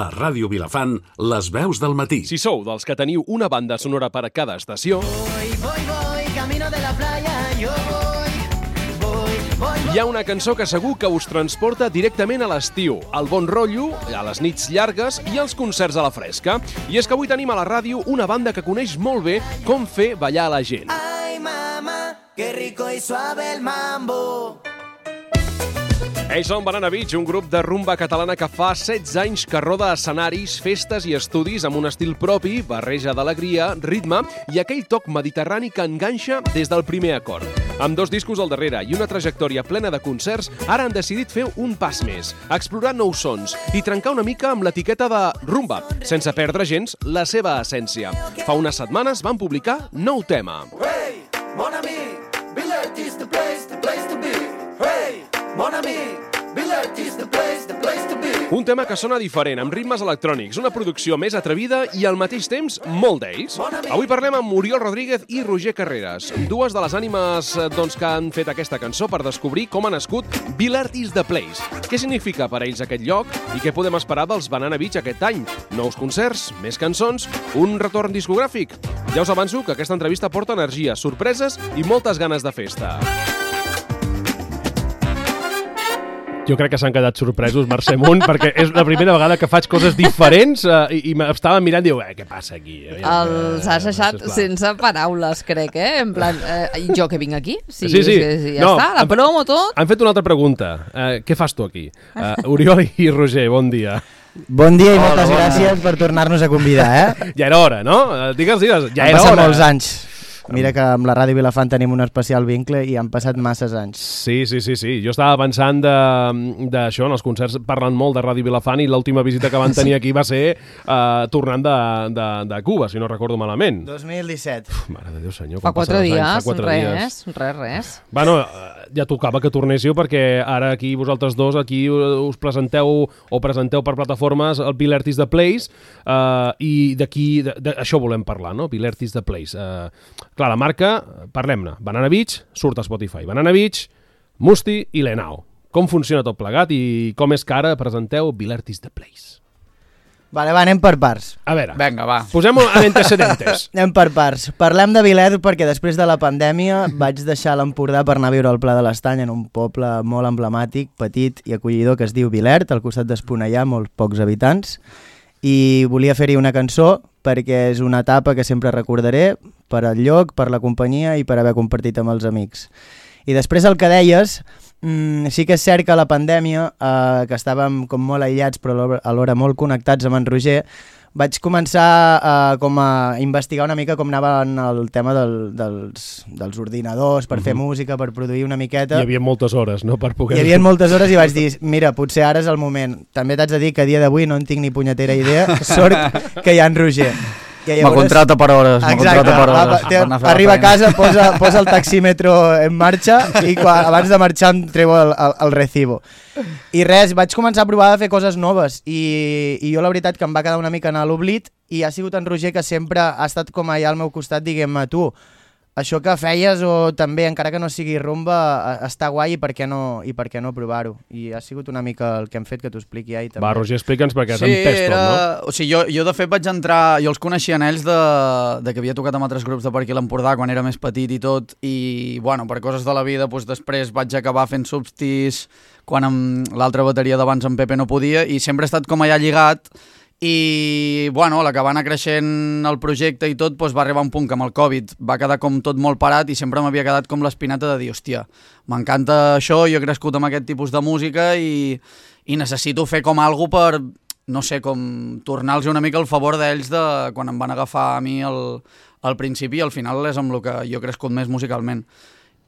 A Ràdio Vilafant, les veus del matí. Si sou dels que teniu una banda sonora per a cada estació, Voy, camino de la playa, yo voy. hi ha una cançó que segur que us transporta directament a l'estiu, al bon rotllo, a les nits llargues i als concerts a la fresca. I és que avui tenim a la ràdio una banda que coneix molt bé com fer ballar la gent. Ay, mamá, qué rico y suave el mambo. Ells són Banana Beach, un grup de rumba catalana que fa 16 anys que roda escenaris, festes i estudis amb un estil propi, barreja d'alegria, ritme i aquell toc mediterrani que enganxa des del primer acord. Amb 2 discos al darrere i una trajectòria plena de concerts, ara han decidit fer un pas més, explorar nous sons i trencar una mica amb l'etiqueta de rumba, sense perdre gens la seva essència. Fa unes setmanes van publicar nou tema. Hey, mon ami, Villert is the place to be. Hey, mon ami, Villert is the place to be. Un tema que sona diferent, amb ritmes electrònics, una producció més atrevida i al mateix temps molt d'ells. Avui parlem amb Oriol Rodríguez i Roger Carreras, dues de les ànimes que han fet aquesta cançó per descobrir com ha nascut Villert is the place. Què significa per a ells aquest lloc i què podem esperar dels Banana Beach aquest any? Nous concerts, més cançons, un retorn discogràfic? Ja us avanço que aquesta entrevista porta energia, sorpreses i moltes ganes de festa. Jo crec que s'han quedat sorpresos, Mercè Munt, perquè és la primera vegada que faig coses diferents i m'estava mirant i diu, què passa aquí? Els has deixat sense paraules, crec, En plan, jo que vinc aquí? Sí. Ja No, està, la promo, tot. Han fet una altra pregunta. Què fas tu aquí? Oriol i Roger, bon dia. Bon dia i moltes gràcies per tornar-nos a convidar, Ja era hora, no? Digues, ja Han era passat hora. molts anys. Mira que amb la Ràdio Vilafant tenim un especial vincle i han passat masses anys. Sí. Jo estava pensant d'això, en els concerts parlant molt de Ràdio Vilafant i l'última visita que van tenir aquí va ser tornant de Cuba, si no recordo malament. 2017. Mare de Déu, senyor. Fa 4 dies, Fa 4 dies. res. Bueno, ja tocava que tornéssiu perquè ara aquí vosaltres dos aquí us presenteu per plataformes el Villert is the place i d'aquí, això volem parlar, no? Villert is the place. Clar, la marca, parlem-ne. Banana Beach surt a Spotify. Banana Beach, Musti i Lenao. Com funciona tot plegat i com és que ara presenteu Villert is the place? Vale, anem per parts. A veure, Vinga, va. posem-ho en antecedentes. Anem per parts. Parlem de Villert perquè després de la pandèmia vaig deixar l'Empordà per anar a viure al Pla de l'Estany, en un poble molt emblemàtic, petit i acollidor que es diu Villert, al costat d'Esponellà, molts pocs habitants, i volia fer-hi una cançó perquè és una etapa que sempre recordaré per al lloc, per la companyia i per haver compartit amb els amics. I després el que deies, sí que és cert que la pandèmia, que estàvem com molt aïllats però alhora molt connectats amb en Roger, vaig començar com a investigar una mica com anava el tema dels ordinadors per fer música, per produir una miqueta. Hi havia moltes hores, no?, per poder... Hi havia moltes hores i vaig dir, mira, potser ara és el moment. També t'haig de dir que a dia d'avui no en tinc ni punyetera idea, sort que hi ha en Roger. Me contrata per hores. Exacte, arriba a casa, posa el taxímetro en marxa i abans de marxar em treu el recibo. I res, vaig començar a provar de fer coses noves i jo la veritat que em va quedar una mica en l'oblit i ha sigut en Roger que sempre ha estat com allà al meu costat diguem-me, tu, això que feies o també, encara que no sigui rumba, està guai i per què no provar-ho? I ha sigut una mica el que hem fet que t'ho expliqui ahir també. Va, Roger, explica'ns perquè has entès tot, no? O sigui, jo de fet vaig entrar, jo els coneixia en ells de que havia tocat amb altres grups de per aquí a l'Empordà quan era més petit i tot, i bueno, per coses de la vida doncs després vaig acabar fent substis quan amb l'altra bateria d'abans en Pepe no podia i sempre he estat com allà lligat. I bueno, a la que va anar creixent el projecte i tot, doncs va arribar un punt que amb el Covid va quedar com tot molt parat i sempre m'havia quedat com l'espinata de dir, hòstia, m'encanta això, jo he crescut amb aquest tipus de música i necessito fer com algo per, no sé, com tornar-los una mica el favor d'ells de quan em van agafar a mi al principi i al final és amb el que jo he crescut més musicalment.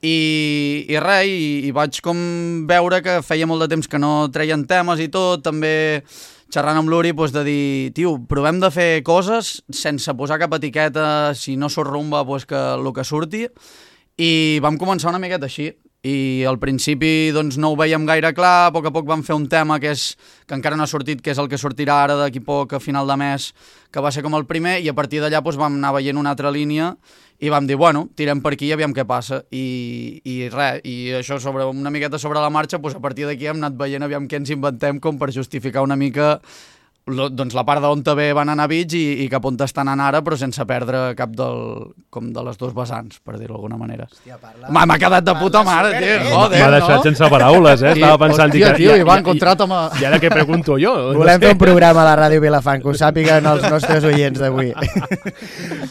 I res, i vaig com veure que feia molt de temps que no treien temes i tot, també xerrant amb l'Uri, doncs de dir, tio, provem de fer coses sense posar cap etiqueta, si no surt rumba, doncs que el que surti, i vam començar una miqueta així, i al principi doncs no ho veiem gaire clar, a poc vam fer un tema que encara no ha sortit, que és el que sortirà ara d'aquí poc a final de mes, que va ser com el primer, i a partir d'allà doncs vam anar veient una altra línia, i vam dir, bueno, tirem per aquí i aviam què passa, i res, i això una miqueta sobre la marxa, doncs a partir d'aquí hem anat veient aviam què ens inventem com per justificar una mica doncs la part d'on també van anar Beach i cap on estan anant ara, però sense perdre cap com de les dos vessants, per dir-ho d'alguna manera. Hòstia, M'ha quedat de puta mare, tio, joder, M'ha deixat sense paraules, Estava pensant... Hòstia, tio, Ivan, contráta'm. I ara què pregunto jo? Volem fer un programa a la Ràdio Vilafant, que ho sàpiguen els nostres oients d'avui.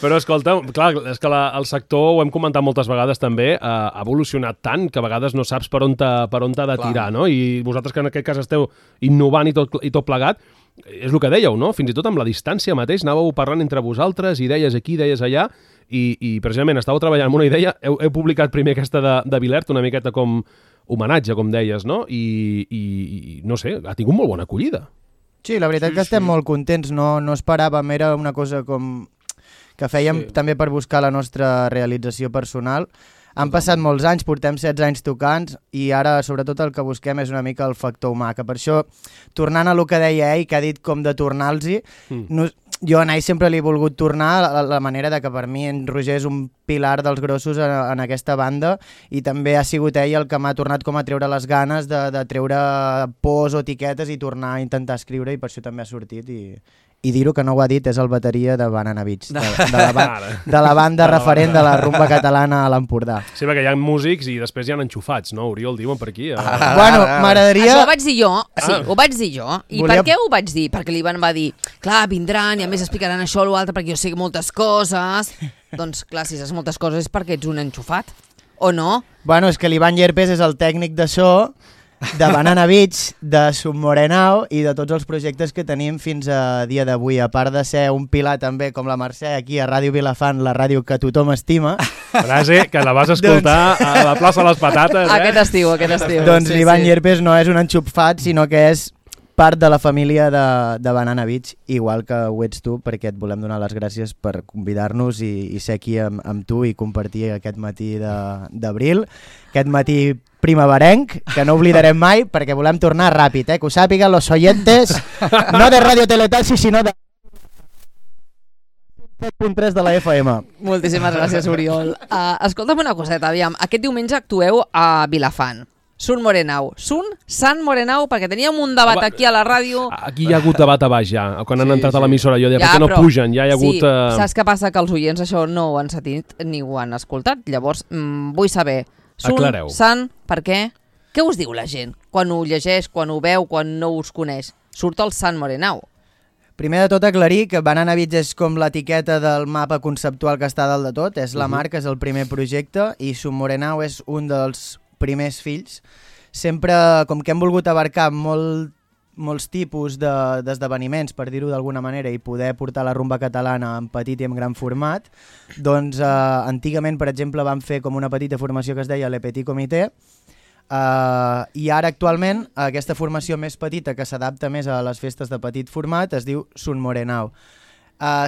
Però escolta, clar, és que el sector, ho hem comentat moltes vegades també, ha evolucionat tant que a vegades no saps per on t'ha de tirar, no? I vosaltres que en aquest cas esteu innovant i tot plegat, és el que dèieu, no? Fins i tot amb la distància mateix anàveu parlant entre vosaltres, idees aquí, idees allà, i precisament estàveu treballant amb una idea, heu publicat primer aquesta de Vilert, una miqueta com homenatge, com deies, no? I no sé, ha tingut molt bona acollida. Sí, la veritat que estem molt contents, no esperàvem, era una cosa com que fèiem també per buscar la nostra realització personal. Han passat molts anys, portem 16 anys tocant i ara sobretot el que busquem és una mica el factor humà, que per això, tornant a el que deia ell, que ha dit com de tornar-los-hi, jo a ell sempre li he volgut tornar la manera de que per mi en Roger és un pilar dels grossos en aquesta banda i també ha sigut ell el que m'ha tornat com a treure les ganes de treure pors o etiquetes i tornar a intentar escriure i per això també ha sortit i dir-ho que no ho ha dit és el bateria de Banana Beach, de la banda referent de la rumba catalana a l'Empordà. Sí, perquè hi ha músics i després hi ha enxufats, no? Oriol, diuen per aquí. Bueno, m'agradaria... Això ho vaig dir jo, sí, ho vaig dir jo. I per què ho vaig dir? Perquè l'Ivan va dir, clar, vindran i a més explicaran això o l'altre perquè jo sé moltes coses. Doncs clar, si saps moltes coses és perquè ets un enxufat, o no? Bueno, és que l'Ivan Llerpes és el tècnic de so de Banana Beach, de Submorenau i de tots els projectes que tenim fins a dia d'avui, a part de ser un pilar també com la Mercè aquí a Ràdio Vilafant, la ràdio que tothom estima. Frase que la vas escoltar a la plaça de les Patates, Aquest estiu. Doncs l'Ivan Llerpes no és un enxufat, sinó que és part de la família de Banana Beach, igual que ho ets tu, perquè et volem donar les gràcies per convidar-nos i ser aquí amb tu i compartir aquest matí d'abril, aquest matí primaverenc, que no oblidarem mai, perquè volem tornar ràpid, que ho sàpiguen los oyentes, no de Radio Teletaxi, sinó de 7.3 de la FM. Moltíssimes gràcies, Oriol. Escolta'm una coseta, aviam, aquest diumenge actueu a Vilafant. Sant Morenau, perquè teníem un debat aquí a la ràdio. Aquí hi ha hagut debat a baix ja, quan han entrat a l'emissora. Jo deia, per què no pugen? Ja hi ha hagut... Sí, saps què passa? Que els oients això no ho han sentit ni ho han escoltat. Llavors, vull saber, Sant, per què? Què us diu la gent? Quan ho llegeix, quan ho veu, quan no us coneix? Surt el Sant Morenau. Primer de tot aclarir que Banana Beach és com l'etiqueta del mapa conceptual que està dalt de tot, és la marca, és el primer projecte, i Sant Morenau és un dels primers fills. Sempre, com que hem volgut abarcar molts tipus d'esdeveniments, per dir-ho d'alguna manera, i poder portar la rumba catalana en petit i en gran format, doncs antigament, per exemple, vam fer com una petita formació que es deia Le Petit Comité, i ara actualment aquesta formació més petita que s'adapta més a les festes de petit format es diu Sant Morenau.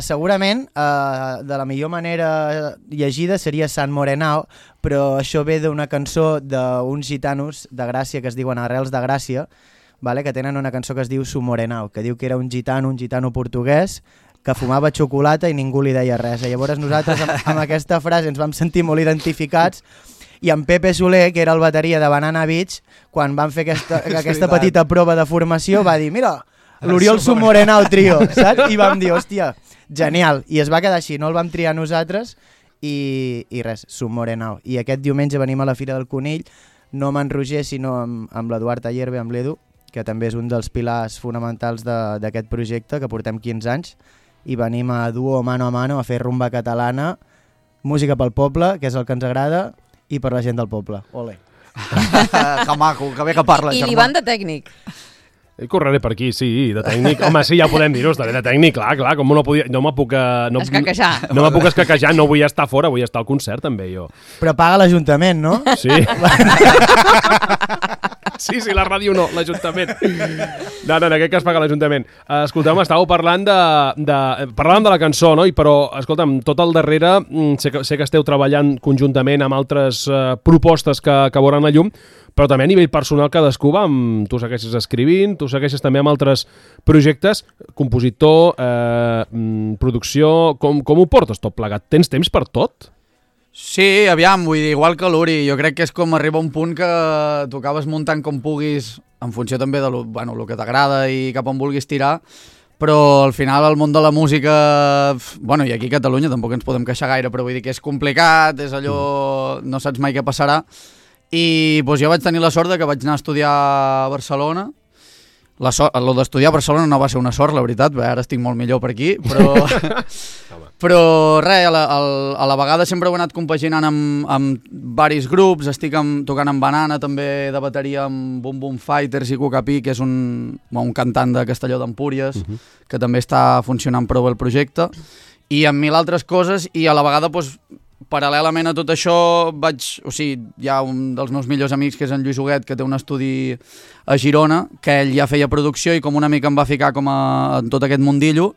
Segurament de la millor manera llegida seria Sant Morenau, però això ve d'una cançó d'uns gitanos de Gràcia que es diuen Arrels de Gràcia, que tenen una cançó que es diu Sant Morenau, que diu que era un gitano portuguès que fumava xocolata i ningú li deia res. Llavors nosaltres amb aquesta frase ens vam sentir molt identificats, i en Pepe Soler, que era el bateria de Banana Beach, quan van fer aquesta petita prova de formació, va dir, mira, l'Oriol Sant Morenau trio, saps? I vam dir, hòstia, genial. I es va quedar així, no el vam triar nosaltres i res, Sant Morenau. I aquest diumenge venim a la Fira del Conill, no amb en Roger, sinó amb l'Eduard Ayerbe, amb l'Edu, que també és un dels pilars fonamentals d'aquest projecte, que portem 15 anys, i venim a duo mano a mano a fer rumba catalana, música pel poble, que és el que ens agrada, i per la gent del poble. Ole. Que maco, que bé que parla, germà. I l'Ivan de tècnic. Correré per aquí, sí, de tècnic. Home, sí, ja ho podem dir-ho, estaré de tècnic, clar, com no podia... No me puc... escaquejar. No me puc escaquejar, no vull estar fora, vull estar al concert també, jo. Però paga l'Ajuntament, no? Sí. Sí, la ràdio no, l'Ajuntament. No, en aquest cas paga l'Ajuntament. Escolteu, estàveu parlant parlàvem de la cançó, no? Però, escolta'm, tot al darrere, sé que esteu treballant conjuntament amb altres propostes que veuran la llum, però també a nivell personal cadascú va amb... Tu segueixes escrivint, tu segueixes també amb altres projectes, compositor, producció... Com ho portes tot plegat? Tens temps per tot? Sí, aviam, vull dir, igual que l'Uri, jo crec que és com arriba un punt que tu acabes muntant com puguis, en funció també de lo que t'agrada i cap on vulguis tirar, però al final el món de la música, bueno, i aquí a Catalunya tampoc ens podem queixar gaire, però vull dir que és complicat, és allò, no saps mai què passarà, i doncs jo vaig tenir la sort que vaig anar a estudiar a Barcelona. Lo d'estudiar a Barcelona no va ser una sort, la veritat, ara estic molt millor per aquí, però res, a la vegada sempre ho he anat compaginant amb varis grups, estic tocant amb Banana també de bateria amb Boom Boom Fighters i Cucapí, que és un cantant de Castelló d'Empúries, que també està funcionant prou el projecte, i amb 1000 altres coses, i a la vegada doncs, paral·lelament a tot això hi ha un dels meus millors amics que és en Lluís Huguet, que té un estudi a Girona, que ell ja feia producció i com una mica em va ficar en tot aquest mundillo,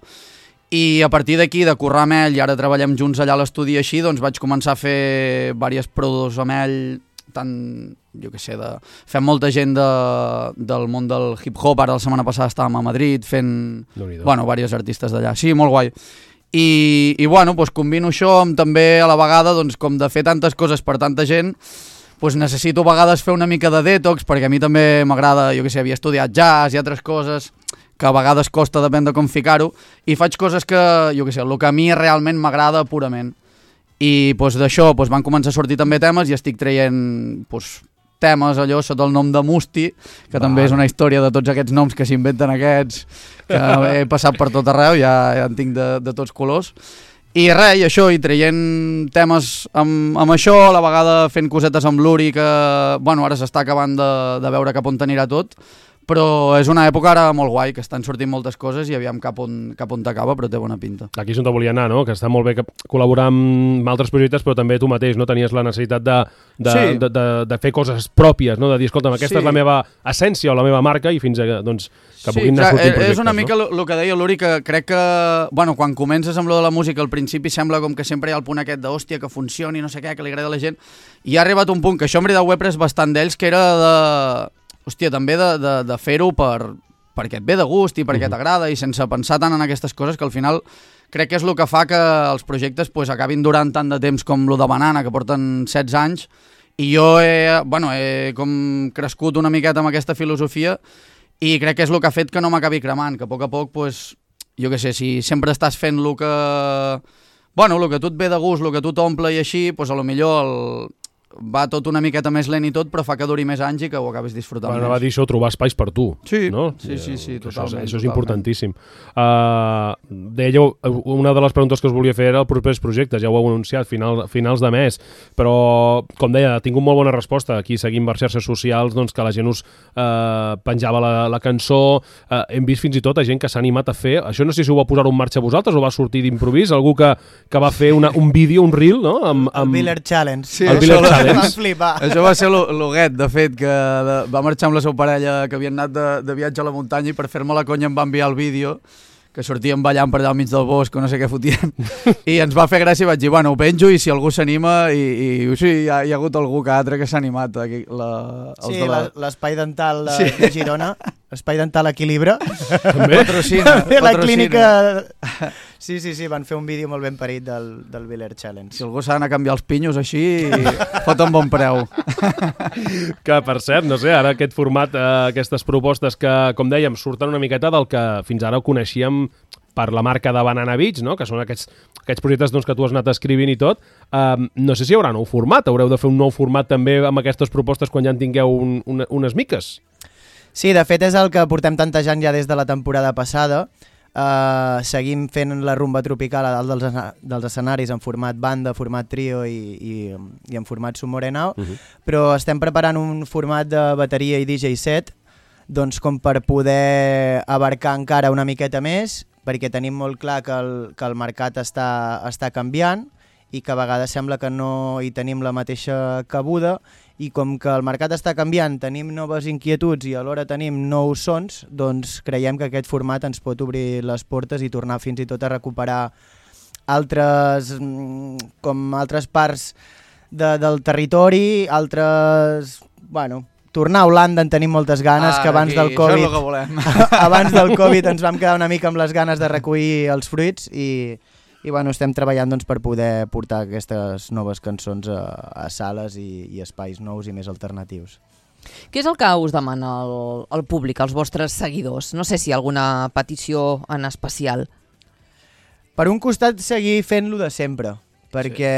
i a partir d'aquí, de currar amb ell, i ara treballem junts allà a l'estudi així, doncs vaig començar a fer diverses prodos amb ell, fem molta gent del món del hip-hop, ara la setmana passada estàvem a Madrid fent, diversos artistes d'allà, sí, molt guai. I doncs combino això amb també a la vegada, doncs, com de fer tantes coses per tanta gent, doncs necessito a vegades fer una mica de detox, perquè a mi també m'agrada, havia estudiat jazz i altres coses que a vegades costa, depèn de com ficar-ho, i faig coses que, el que a mi realment m'agrada purament. I doncs d'això van començar a sortir també temes i estic traient temes allò sota el nom de Musti, que també és una història de tots aquests noms que s'inventen aquests, que he passat per tot arreu, ja en tinc de tots colors. I res, i això, i traient temes amb això, a la vegada fent cosetes amb l'Uri, que ara s'està acabant de veure cap on anirà tot, però és una època ara molt guai, que estan sortint moltes coses i aviam cap on t'acaba, però té bona pinta. Aquí és on te volia anar, no? Que està molt bé col·laborar amb altres projectes, però també tu mateix, no? Tenies la necessitat de fer coses pròpies, no? De dir, escolta'm, aquesta és la meva essència o la meva marca, i fins a, doncs, que puguin anar sortint projectes. És una mica el que deia l'Uri, que crec que, quan comences amb lo de la música, al principi sembla com que sempre hi ha el punt aquest d'hòstia, que funcioni, no sé què, que li agrada a la gent, i ha arribat un punt, que això en veritat ho he pres bastant d'ells, que era també de fer-ho perquè et ve de gust i perquè t'agrada i sense pensar tant en aquestes coses, que al final crec que és el que fa que els projectes acabin durant tant de temps com lo de Banana, que porten 16 anys, i jo he com crescut una miqueta amb aquesta filosofia i crec que és el que ha fet que no m'acabi cremant, que a poc, si sempre estàs fent el que tu et ve de gust, el que tu t'omple i així, a lo millor va tot una miqueta més lent i tot, però fa que duri més anys i que ho acabis disfrutant més. Va dir això, trobar espais per tu. Sí, no? Sí, totalment. Això és importantíssim. Dèieu, una de les preguntes que us volia fer era els propers projectes, ja ho heu anunciat, finals de mes, però, com deia, ha tingut molt bona resposta. Aquí seguim per xarxes socials, doncs, que la gent us penjava la cançó, hem vist fins i tot a gent que s'ha animat a fer, això no sé si ho va posar en marxa vosaltres o va sortir d'improvís, algú que va fer un vídeo, un reel, no? El Biller Challenge. Sí, això va ser l'Huguet, de fet, que va marxar amb la seva parella, que havien anat de viatge a la muntanya, i per fer-me la conya em va enviar el vídeo, que sortíem ballant per allà al mig del bosc, o no sé què fotien, i ens va fer gràcia i vaig dir, ho penjo i si algú s'anima, i sí, hi ha hagut algú que altre que s'ha animat. L'espai dental de Girona, Espai Dental Equilibra. Patrocina. La clínica... Sí, van fer un vídeo molt ben parit del Biller Challenge. Si algú s'ha d'anar a canviar els pinyos així, foten bon preu. Que, per cert, no sé, ara aquest format, aquestes propostes que, com dèiem, surten una miqueta del que fins ara ho coneixíem per la marca de Banana Beats, no? Que són aquests projectes que tu has anat escrivint i tot. No sé si hi haurà nou format, haureu de fer un nou format també amb aquestes propostes quan ja en tingueu unes miques. Sí, de fet és el que portem tantejant ja des de la temporada passada. Seguim fent la rumba tropical a dalt dels escenaris en format banda, format trio i en format Sumorenau, però estem preparant un format de bateria i DJ set, doncs com per poder abarcar encara una miqueta més, perquè tenim molt clar que el mercat està canviant i que a vegades sembla que no hi tenim la mateixa cabuda, i com que el mercat està canviant, tenim noves inquietuds i alhora tenim nous sons, doncs creiem que aquest format ens pot obrir les portes i tornar fins i tot a recuperar altres parts del territori, tornar a Holanda en tenim moltes ganes, que abans del Covid... Això és el que volem. Abans del Covid ens vam quedar una mica amb les ganes de recollir els fruits i estem treballant per poder portar aquestes noves cançons a sales i espais nous i més alternatius. Què és el que us demana el públic, els vostres seguidors? No sé si hi ha alguna petició en especial. Per un costat, seguir fent-lo de sempre, perquè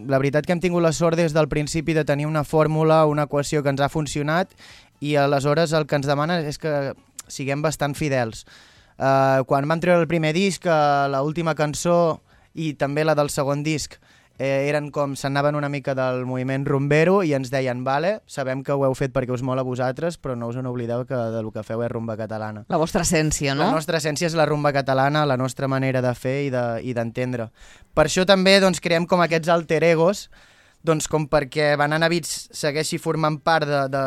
la veritat que hem tingut la sort des del principi de tenir una fórmula, una equació que ens ha funcionat, i aleshores el que ens demana és que siguem bastant fidels. Quan vam treure el primer disc, l'última cançó i també la del segon disc eren com s'anaven una mica del moviment rumbero i ens deien, vale, sabem que ho heu fet perquè us mola a vosaltres, però no us en oblideu que del que feu és rumba catalana. La vostra essència, no? La nostra essència és la rumba catalana, la nostra manera de fer i d'entendre. Per això també doncs, creem com aquests alter egos, doncs, com perquè Banana Beats segueixi formant part de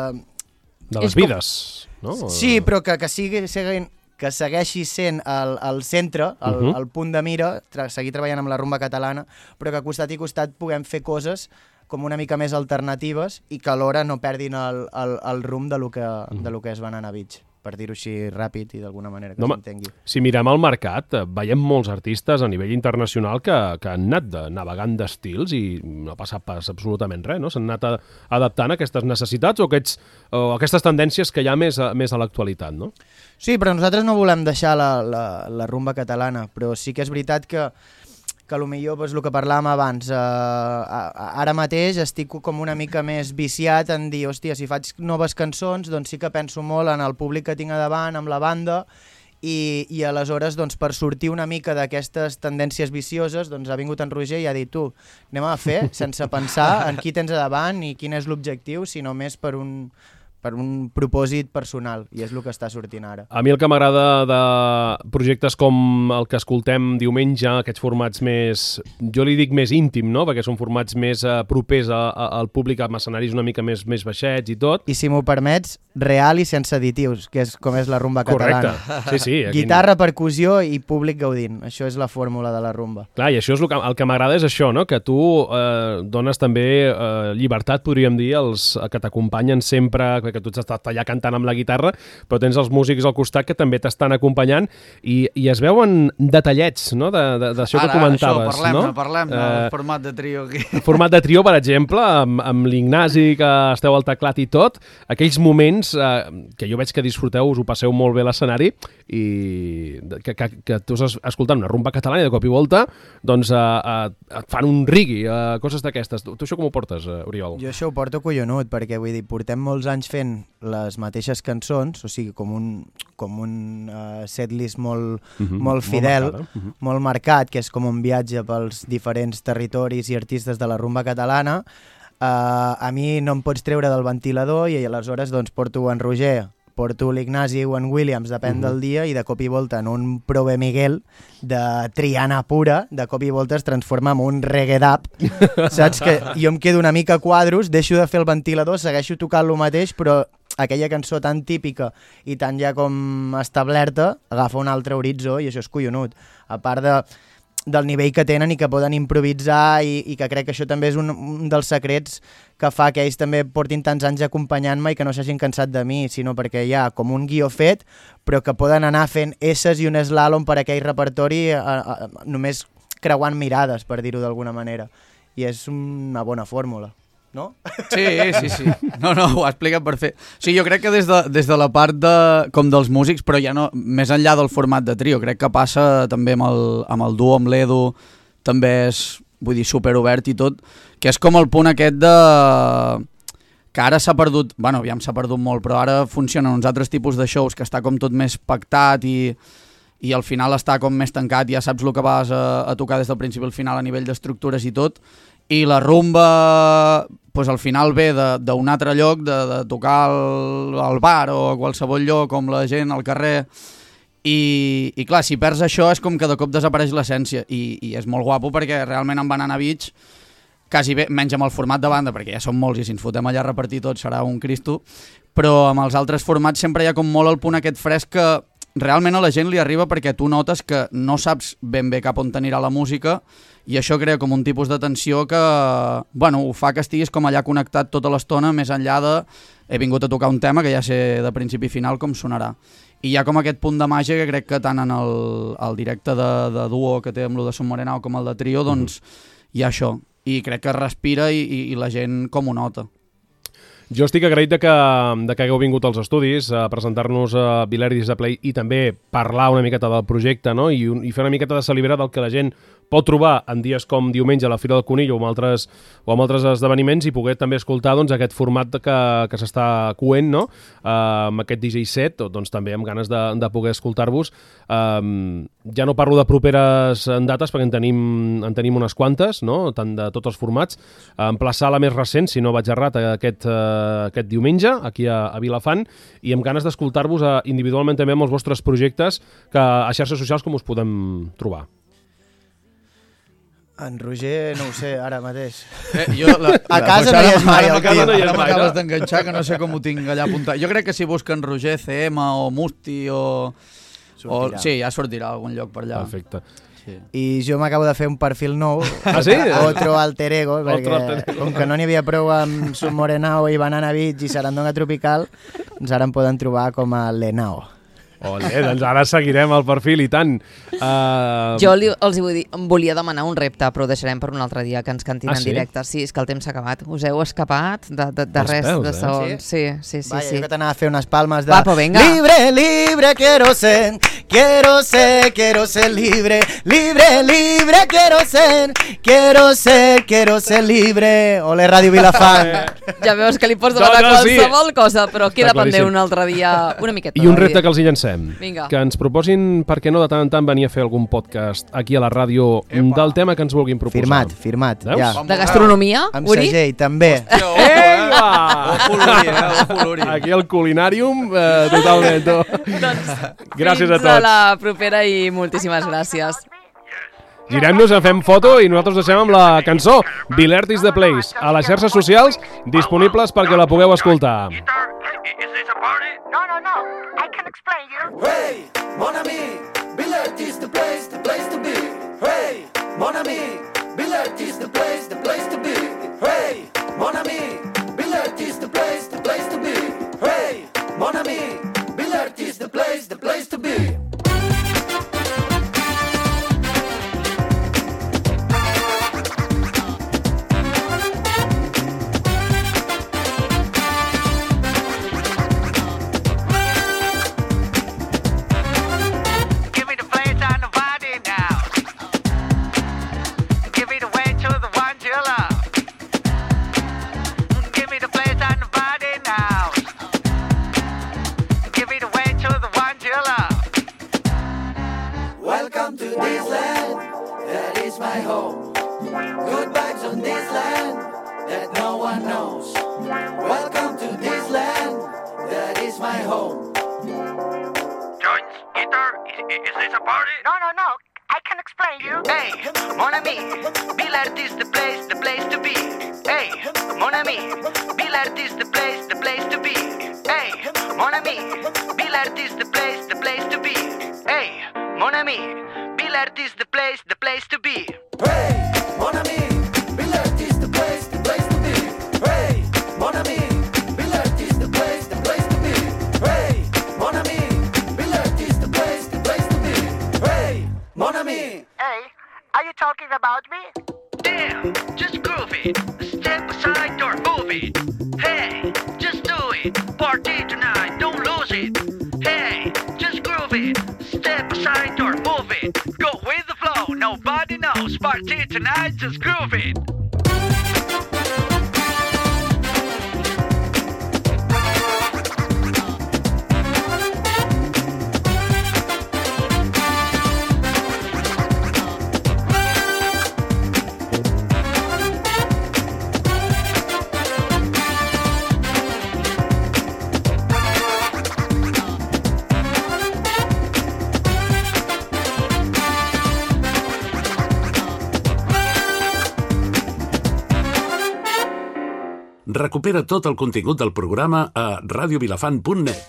les vides, no? Sí, però que segueixi sent el centre, el punt de mira, seguir treballant amb la rumba catalana, però que costat i costat puguem fer coses com una mica més alternatives i que alhora no perdin el rumb de lo que és Banana Beach, per dir-ho així ràpid i d'alguna manera que s'entengui. Si mirem el mercat, veiem molts artistes a nivell internacional que han anat navegant d'estils i no ha passat pas absolutament res, no? S'han anat adaptant a aquestes necessitats o aquestes tendències que hi ha més a l'actualitat, no? Sí, però nosaltres no volem deixar la rumba catalana, però sí que és veritat que potser doncs, el que parlàvem abans, ara mateix estic com una mica més viciat en dir, hòstia, si faig noves cançons, doncs sí que penso molt en el públic que tinc a davant, amb la banda, i aleshores doncs, per sortir una mica d'aquestes tendències vicioses doncs, ha vingut en Roger i ha dit, tu, anem a fer sense pensar en qui tens a davant i quin és l'objectiu, sinó més per un propòsit personal, i és el que està sortint ara. A mi el que m'agrada de projectes com el que escoltem diumenge, aquests formats més, jo li dic més íntim, no? Perquè són formats més propers al públic, amb escenaris una mica més baixets i tot. I si m'ho permets, real i sense additius, que és com és la rumba catalana. Correcte, sí. Guitarra, percussió i públic gaudint. Això és la fórmula de la rumba. Clar, i això és el que m'agrada és això, no? Que tu dones també llibertat, podríem dir, als que t'acompanyen sempre, que tu estàs allà cantant amb la guitarra, però tens els músics al costat que també t'estan acompanyant i es veuen detallets, no? D'això que comentaves. Parlem del format de trio aquí. El format de trio, per exemple, amb l'Ignasi, que esteu al teclat i tot, aquells moments que jo veig que disfruteu, us ho passeu molt bé a l'escenari i que tu estàs escoltant una rumba catalana i de cop i volta doncs et fan un reggae, coses d'aquestes. Tu això com ho portes, Oriol? Jo això ho porto collonut, perquè vull dir, portem molts anys fent les mateixes cançons, o sigui, com un setlist molt fidel, molt marcat, que és com un viatge pels diferents territoris i artistes de la rumba catalana. A mi no em pots treure del ventilador i aleshores doncs, porto en Roger, porto l'Ignasi o en Williams, depèn del dia, i de cop i volta en un Prove Miguel de Triana pura, de cop i volta es transforma en un reggae dub, saps? Que jo em quedo una mica a quadros, deixo de fer el ventilador, segueixo tocant lo mateix, però aquella cançó tan típica i tan ja com establerta agafa un altre horitzó i això és collonut. A part del nivell que tenen i que poden improvisar i que crec que això també és un dels secrets que fa que ells també portin tants anys acompanyant-me i que no s'hagin cansat de mi, sinó perquè hi ha com un guió fet, però que poden anar fent esses i un slalom per aquell repertori només creuant mirades, per dir-ho d'alguna manera. I és una bona fórmula. No? Sí. No, ho ha explicat perfecte. Sí, jo crec que des de la part com dels músics, però ja no, més enllà del format de trio, crec que passa també amb el duo, amb l'Edu, també és, vull dir, superobert i tot, que és com el punt aquest que ara s'ha perdut, bueno, aviam s'ha perdut molt, però ara funcionen uns altres tipus de shows que està com tot més pactat i al final està com més tancat, ja saps el que vas a tocar des del principi al final a nivell d'estructures i tot, i la rumba doncs al final ve d'un altre lloc, de tocar al bar o a qualsevol lloc, com la gent al carrer, i clar, si perds això és com que de cop desapareix l'essència, i és molt guapo perquè realment en Banana Beach quasi bé, menys amb el format de banda, perquè ja són molts i si ens fotem allà a repartir tot serà un cristo, però amb els altres formats sempre hi ha com molt el punt aquest fresc que realment a la gent li arriba perquè tu notes que no saps ben bé cap on t'anirà la música i això crea com un tipus de tensió que, bueno, ho fa que estiguis com allà connectat tota l'estona, més enllà de he vingut a tocar un tema que ja sé de principi i final com sonarà. I hi ha com aquest punt de màgia que crec que tant en el directe de duo que té amb lo de Son Morenao com el de trio, doncs hi ha això. I crec que respira i la gent com ho nota. Jo estic agraït de que hagueu vingut als estudis a presentar-nos a Vilert Disc de Play i també parlar una miqueta del projecte, no? I fer una miqueta de celebrar del que la gent pot trobar en dies com diumenge a la Fira del Conill o amb altres esdeveniments i poder també escoltar doncs, aquest format que s'està coent, no? Amb aquest DJ set, doncs també amb ganes de poder escoltar-vos. Ja no parlo de properes dates perquè en tenim unes quantes, no? Tant de tots els formats. Emplaçar la més recent, si no vaig errat, aquest diumenge aquí a Vilafant i amb ganes d'escoltar-vos individualment també amb els vostres projectes que a xarxes socials com us podem trobar. En Roger, no ho sé, ara mateix. A casa no hi és mai, el tio. Ara m'acabes d'enganxar, que no sé com ho tinc allà apuntat. Jo crec que si busquen Roger CM o Musti o... Sí, ja sortirà a algun lloc per allà. Perfecte. Sí. I jo m'acabo de fer un perfil nou. Ah, sí? Otro alter ego, perquè com que no n'hi havia prou amb Submorenao i Banana Beach i Sarandonga Tropical, doncs ara em poden trobar com a Lenao. Olé, doncs ara seguirem el perfil i tant. Jo els volia demanar un repte, però ho deixarem per un altre dia, que ens cantin en directe. Sí, és que el temps s'ha acabat. Us heu escapat de res de segons. Sí. Vaja, jo que t'anava a fer unes palmes de... Va, pues venga. Libre, libre, quiero ser libre, libre, quiero ser libre. Ole, Ràdio Vilafant. Ja veus que li pots demanar qualsevol cosa, però queda pendent un altre dia una miqueta. I un repte que els hi llancem. Vinga. Que ens proposin, per què no, de tant en tant venir a fer algun podcast aquí a la ràdio del tema que ens vulguin proposar. Firmat. Veus? Ja. De gastronomia, Amb Uri? segell, també. Aquí al culinàrium, totalment. Gràcies a tots. Fins a la propera i moltíssimes gràcies. Girem-nos, fem foto i nosaltres deixem amb la cançó Vilert is the Place a les xarxes socials disponibles perquè la pugueu escoltar. No, I can explain you. Hey, mon ami, Vilert is the place to be. Hey, mon ami, Vilert is the place to be. Hey, mon ami, Vilert is the place to be. Hey, mon ami, Vilert is the place to be. Welcome to this land, that is my home. Good vibes on this land, that no one knows. Welcome to this land, that is my home. Joints, guitar, is this a party? No, I can explain you. Hey, mon ami, Vilert is the place to be. Hey, mon ami, Vilert is the place to be. Hey, mon ami, Vilert is the place to be. Hey, mon ami, Vilert is the place to be. Hey, mon ami, Vilert is the place to be. Hey, mon ami, Vilert is the place to be. Hey, mon ami, Vilert is the place to be. Hey, mon ami. Hey, are you talking about me? Damn, just groove it. Step aside or move it. Hey, just do it. Party tonight, don't lose it. Hey, just groove it. Step aside or move it. Go with the flow, nobody knows. Party tonight, just groove it. Recupera tot el contingut del programa a radiovilafant.net.